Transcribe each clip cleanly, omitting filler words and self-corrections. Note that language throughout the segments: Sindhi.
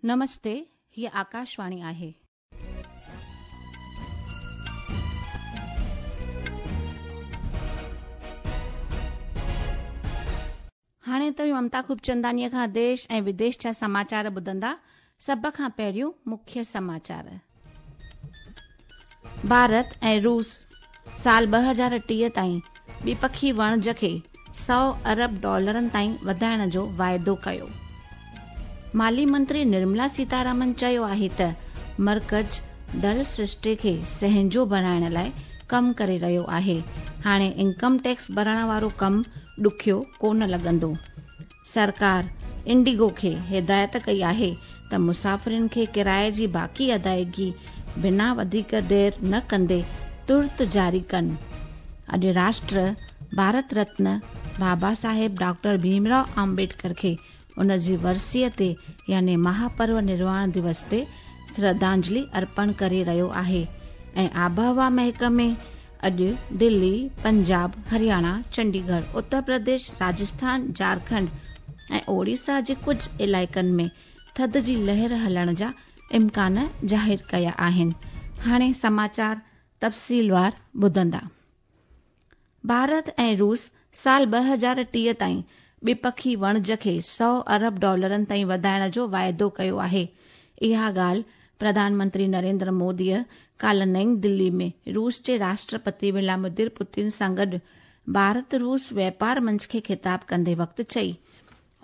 نمستي، هيء آڪاشواڻي آهي. هاڻي توهين ممتا خوبچندانيء کان ديش ۽ وديش جا سماچار ٻڌندا. سڀ کان پهريون مکيه سماچار. ڀارت ۽ روس سال 2030 تائين ٻپکي وڻج کي سؤ ارب ڊالرن تائين وڌائڻ جو واعدو ڪيو. مالي منتري نرملا سيتارامن چيو آهي ته مرڪز ڊل سرشتي کي سهنجو بڻائڻ لاء ڪم ڪري رهيو آهي، هاڻي انڪم ٽيڪس ڀرڻ وارو ڪم ڏکيو ڪونه لڳندو. سرڪار انڊيگو کي هدايت ڪئي آهي ته مسافرن کي ڪرائي جي باقي ادائيگي بنا وڌيڪ دير نه ڪندي ترت جاري ڪن. اڄ راشٽر ڀارت رتن بابا صاحب ڊاڪٽر ڀيم رائو آمبيڊڪر کي ان جي ورسيء تي يعني مهاپرو نرواڻ دوس تي شرڌانجلي ارپڻ ڪري رهيو آهي ۽ آبهوا محڪمي اڄ دلي، پنجاب، هرياڻا، چنڊيڳڙهه، اتر پرديش، راجسٿان، جهارکنڊ ۽ اوڙيسا جي ڪجهه علائقن ۾ ٿڌ جي لهر هلڻ جا امڪان ظاهر ڪيا آهن. هاڻي سماچار تفصيلوار ٻڌندا. ڀارت ۽ روس سال 2030 تائين ٻپکي وڻج کي سؤ ارب ڊالرن تائين وڌائڻ جو واعدو ڪيو آهي. اها ڳالهه پرڌان منتري نريندر موديء ڪالهه نئين دلي ۾ روس جي راشٽرپتي ولاديمير پوتن سان گڏ ڀارت روس واپار منچ کي خطاب ڪندي وقت چئي.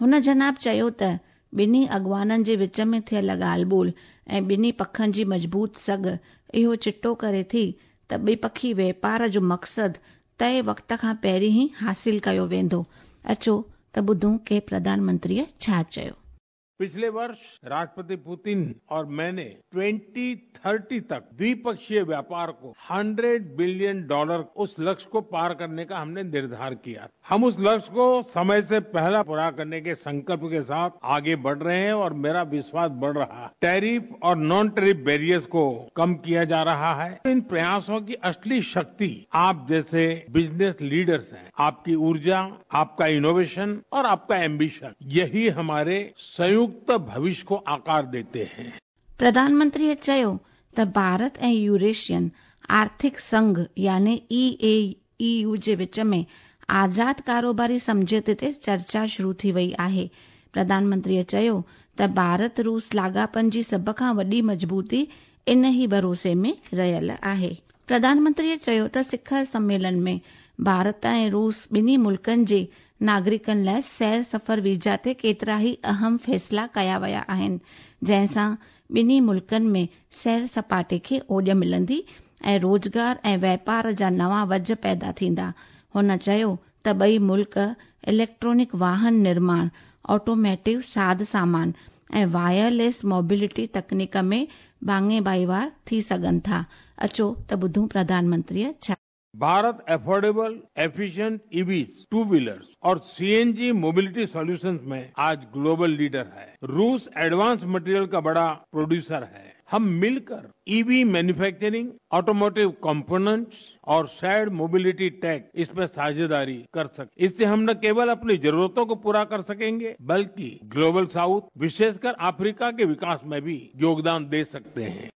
هن جناب چيو ته ٻنهي اڳواڻن جي وچ ۾ ٿيل ڳالهه ٻولهه ۽ ٻنهي پکن جي مضبوط سگهه اهو چٽو ڪري ٿي ته ٻپکي واپار جو مقصد طئي وقت کان پهرين ئي حاصل ڪيو ويندو. اچو ته ٻڌون ڪي پرڌان منتريء ڇا چيو. پڇلي ورش راشٽرپتي پوتن اور مين ني 2030 تڪ دويپکشيه وياپار ڪو 100 بلين ڊالر اس لڪشيه ڪو پار ڪرني ڪا هم ني نرڌار ڪيا. هم اس لڪشيه ڪو سمي سي پهلا پورا ڪرني ڪي سنڪلپ ڪي ساٿ آگي بڙه رهي هين اور ميرا وشواس بڙه رها هي. ٽيرف اور نان ٽيرف بيريئرز ڪو ڪم ڪيا جا رها هي. ان پرياسون ڪي اصلي شڪتي آپ جيسي بزنس ليڊرز هين. آپ ڪي اورجا، آپ ڪا انوويشن اور آپ ڪا ايمبيشن يهي هماري سنيوڪت ڀوشيه ڪو آڪار ديتي هين. پرڌان منتريء چيو ته ڀارت ۽ يوريشين آرٿڪ سنگهه يعني اي اي اي يو جي وچ ۾ آزاد ڪاروباري سمجهوتي تي چرچا شروع ٿي وئي آهي. پرڌان منتريء چيو ته ڀارت روس لاڳاپن جي سڀ کان وڏي مضبوطي ان ئي ڀروسي ۾ رهيل آهي. پرڌان منتريء چيو ته سکر سميلن ۾ ڀارت ۽ روس ٻنهي ملڪن جي ناگرڪن لاء سير سفر ويزا تي ڪيترائي اهم فيصلا ڪيا ويا آهن، جنهن سان ٻنهي ملڪن ۾ سير سپاٽي کي اوڄ ملندي ۽ روزگار ۽ واپار جا نوان وجهه پيدا ٿيندا. هن چيو ته ٻئي ملڪ اليڪٽرانڪ واهن نرماڻ، آٽوميٽو ساز سامان ۽ وائرليس موبلٽي تڪنيڪ ۾ ڀاڱي ڀائيوار ٿي سگهن ٿا. اچو ته ٻڌون پرڌان منتريء ڇا. Bharat affordable, efficient ايويز، two wheelers اور سي اين جي موبلٽي سوليوشنز مين آج گلوبل ليڊر هي. روس ايڊوانس مٽيريل ڪا بڙا پروڊيوسر هي. هم مل ڪر اي وي مينوفيڪچرنگ، آٽوموٽو ڪمپوننٽس اور شيئرڊ موبلٽي ٽيڪ اس مين ساجهيداري ڪر سڪ. اس سي هم نه ڪيول اپني ضرورتون ڪو پورا ڪر سڪينگي بلڪه گلوبل سائوٿ وشيش ڪر آفريڪا ڪي وڪاس مين ڀي يوگدان the سڪتي هين.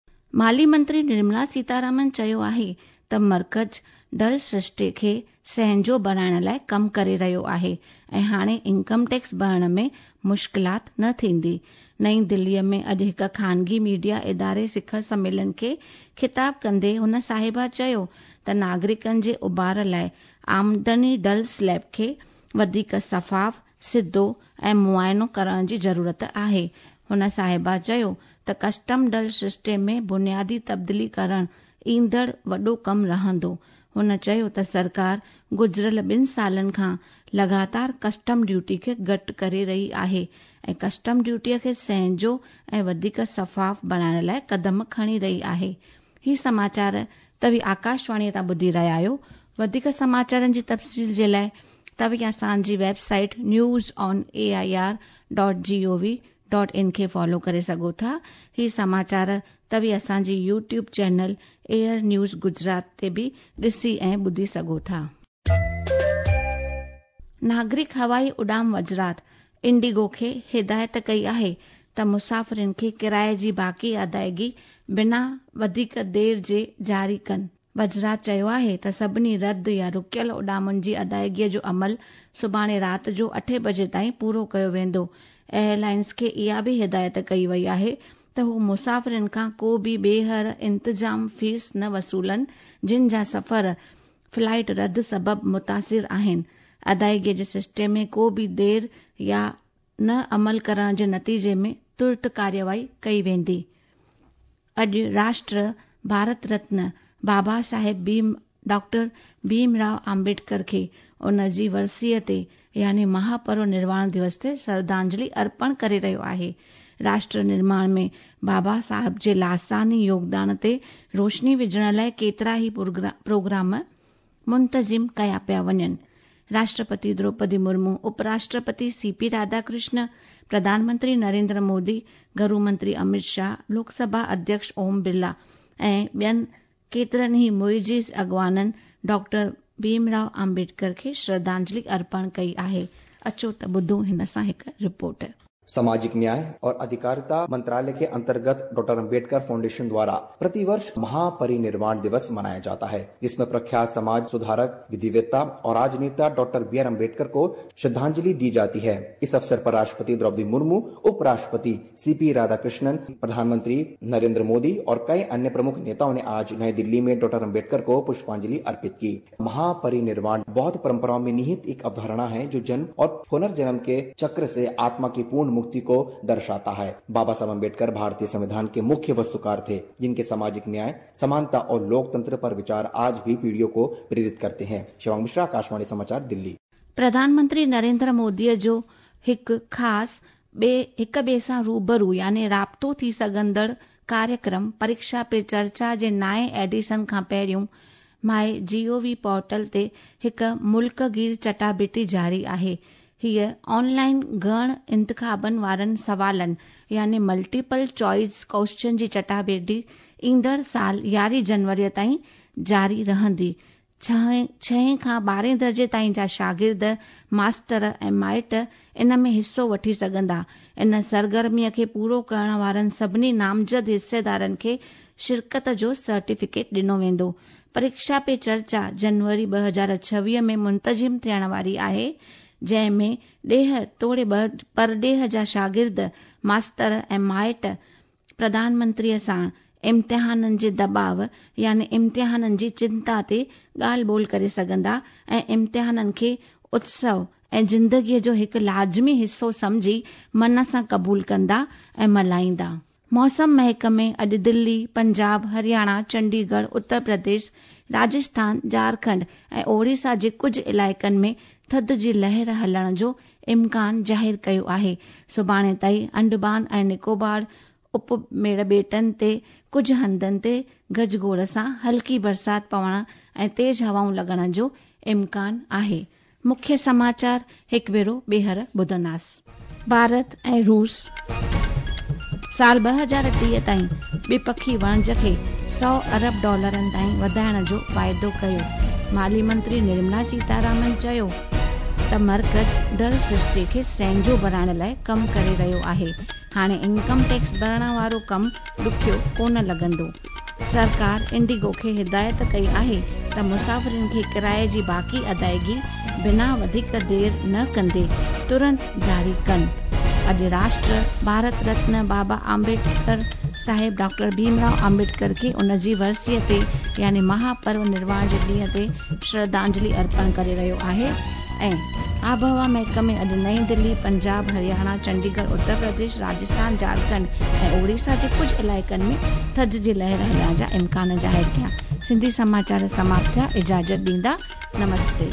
مالي منتري نرملا سيتارامن چيو آهي ته مرڪز ڊل سرشتي کي سهنجو بڻائڻ لاء ڪم ڪري رهيو آهي ۽ هاڻي انڪم ٽيڪس ڀرڻ ۾ مشڪلات نه ٿيندي. نئين دليء ۾ اڄ هڪ خانگي ميڊيا اداري سکر سميلن کي خطاب ڪندي هن صاحبه چيو ته ناگرڪن جي اڀار لاء آمدني ڊل سليب کي وڌيڪ شفاف، سڌو ۽ معائنو ڪرڻ جي ضرورت آهي. هن صاحبه چيو ته ڪسٽم ڊل سرشتي ۾ بنيادي تبديلي ڪرڻ ايندڙ وڏو ڪم رهندو. هن چيو ته سرڪار گذريل ٻن سالن کان لڳاتار ڪسٽم ڊيوٽي کي گهٽ ڪري رهي آهي ۽ ڪسٽم ڊيوٽي کي سهنجو ۽ وڌيڪ شفاف بڻائڻ لاء قدم کڻي رهي آهي. هي سماچار توهين آڪاشواڻي تان ٻڌي رهيا آهيو. وڌيڪ سماچارن جي تفصيل جي لاء توهين اسان جي website news on A I R dot G O V dot in کي فالو ڪري سگهو ٿا. هي سماچار توهين اسان جي YouTube channel air news Gujarat تي به ڏسي ۽ ٻڌي سگهو ٿا. ناگرڪ هوائي اڏام وزارت انڊيگو کي هدايت ڪئي آهي ته مسافرن کي ڪرائي جي باقي ادائگي بنا وڌيڪ دير جي جاري ڪن. وزارت چيو آهي ته سڀني رد يا رڪيل اڏامن جي ادائگي جو عمل سڀاڻي رات جو اٺين بجي تائين پورو ڪيو ويندو. ايئرلائنز کي اها به هدايت ڪئي وئي آهي ته هو مسافرن کان ڪو به ٻيهر انتظام فيس نه وصولن جن جا سفر فلائيٽ رد سبب متاثر آهن. ادائگي جي سسٽم ۾ ڪو به دير يا نه عمل ڪرڻ جي نتيجي ۾ ترت ڪارروائي ڪئي ويندي. اڄ راشٽر ڀارت رتن بابا صاحب ڀيم ڊاڪٽر ڀيم رائو آمبيڊڪر کي ان جي ورسيء تي يعني مهاپرو نرواڻ دوس تي شرڌانجلي ارپڻ ڪري رهيو آهي. راشٽر نرماڻ ۾ بابا صاحب جي لاثاني يوگدان تي روشني وجهڻ لاء ڪيترا ئي پروگرام منتظم ڪيا پيا وڃن. راشٽرپتي دروپدي مرمو، اپراشٽرپتي سي پي راڌاڪرشن، پرڌان منتري نريندر مودي، گهرو منتري امت شاهه، لوڪ سڀا اڌيڪش اوم برلا ۽ ٻين ڪيترن ئي معزز اڳواڻن ڊاڪٽر ڀيم رائو آمبيڊڪر کي شرڌانجلي ارپڻ ڪئي آهي. اچو ته ٻڌون هن سان هڪ رپورٽ. सामाजिक न्याय और अधिकारिता मंत्रालय के अंतर्गत डॉक्टर अंबेडकर फाउंडेशन द्वारा प्रतिवर्ष महापरिनिर्वाण दिवस मनाया जाता है, जिसमें प्रख्यात समाज सुधारक, विधिवेत्ता और राजनेता डॉक्टर बी are Ambedkar को श्रद्धांजलि दी जाती है। इस अवसर पर राष्ट्रपति द्रौपदी मुर्मू, उपराष्ट्रपति सीपी राधाकृष्णन, प्रधानमंत्री नरेंद्र मोदी और कई अन्य प्रमुख नेताओं ने आज नई दिल्ली में डॉक्टर अंबेडकर को पुष्पांजलि अर्पित की। महापरिनिर्वाण बौद्ध परंपराओं में निहित एक अवधारणा है, जो जन्म और पुनर्जन्म के चक्र से आत्मा की पूर्ण मुक्ति को दर्शाता है। बाबा साहब अम्बेडकर भारतीय संविधान के मुख्य वस्तुकार थे, जिनके सामाजिक न्याय, समानता और लोकतंत्र पर विचार आज भी पीढ़ियों को प्रेरित करते हैं। शिवांग मिश्रा, आकाशवाणी समाचार, दिल्ली। प्रधानमंत्री नरेंद्र मोदीअ जो हिकु ख़ासि ॿिए हिक ॿिए सां रूबरू यानी राब्तो थी सघंदड़ कार्यक्रम परीक्षा पे चर्चा जे नाएं एडिशन खां पहिरियों माई जीओवी पोर्टल ते हिकु मुल्कगीर चटाबिटी जारी आहे। हीअ ऑनलाइन घण इंतिखाबनि वारनि सवालनि यानी मल्टीपल चॉइस क्वेश्चन जी चटाभेटी ईंदड़ साल 11 जनवरीअ ताईं जारी रहंदी। छहें खां 12हें दर्जे ताईं जा शागिर्द, मास्तर ऐं माइट इन में हिसो वठी सघंदा। इन सरगर्मीअ खे पूरो करण वारनि सभिनी नामज़द हिसेदारनि खे शिरकत जो सर्टिफिकेट ॾिनो वेंदो। परीक्षा पे चर्चा जनवरी 2026 में मुंतज़िम थियण वारी आहे, जंहिं में ॾेह तोड़े परॾेह जा शागिर्द, मास्तर ऐं माइट प्रधानमंत्रीअ सां इम्तिहाननि जे दबाव यानी इम्तिहाननि जी चिंता ते ॻाल्हि ॿोल करे सघंदा ऐं इम्तिहाननि खे उत्सव ऐं ज़िंदगीअ जो हिकु लाज़मी हिसो सम्झी मन सां क़बूल कंदा ऐं मल्हाईंदा। मौसम महकमे अॼु दिल्ली, पंजाब, हरियाणा, चंडीगढ़, उत्तर प्रदेश, राजस्थान, झारखंड ऐं ओडिशा जे कुझु इलाइक़नि में थधि जी लहर हलण जो इम्कान ज़ाहिर कयो आहे। सुभाणे ताईं अंडमान ऐं निकोबार उपमेड़ ॿेटनि ते कुझु हंधनि ते गजगोड़ सां हल्की बरसाति पवण ऐं तेज़ हवाऊं लॻण जो इम्कान आहे। मुख्य समाचार हिकु भेरो ॿीहर ॿुधंदासीं। भारत ऐं रूस साल 2030 ताईं ॿिपखी वणज खे 100 अरब डॉलरनि ताईं वधाइण जो वाइदो कयो। माली मंत्री निर्मला सीतारामन चयो त मर्कज़ डर सृष्टि खे सहंजो बणाइण लाइ कमु करे रहियो आहे। हाणे इनकम टैक्स भरण वारो कमु ॾुखियो कोन लॻंदो। सरकार इंडिगो खे हिदायत कई आहे त मुसाफ़िरनि खे किराए जी बाक़ी अदायगी बिना वधीक देरि न कंदे तुरंत जारी कनि। अॼु राष्ट्र भारत रत्न बाबा आम्बेडकर साहेब डॉक्टर भीमराव आम्बेडकर खे उन जी वरसीअ ते यानी महापर्व निर्वाण जे ॾींहं ते श्रद्धांजलि अर्पण करे रहियो आहे। ऐं आबहवा महकमे अॼु नई दिल्ली, पंजाब, हरियाणा, चंडीगढ़, उत्तर प्रदेश, राजस्थान, झारखंड ऐं ओडिशा जे कुझु इलाइक़नि में थधि जी लहर हलण जा इम्कान ज़ाहिर कया। सिंधी समाचार समाप्त थिया। इजाज़त ॾींदा। नमस्ते।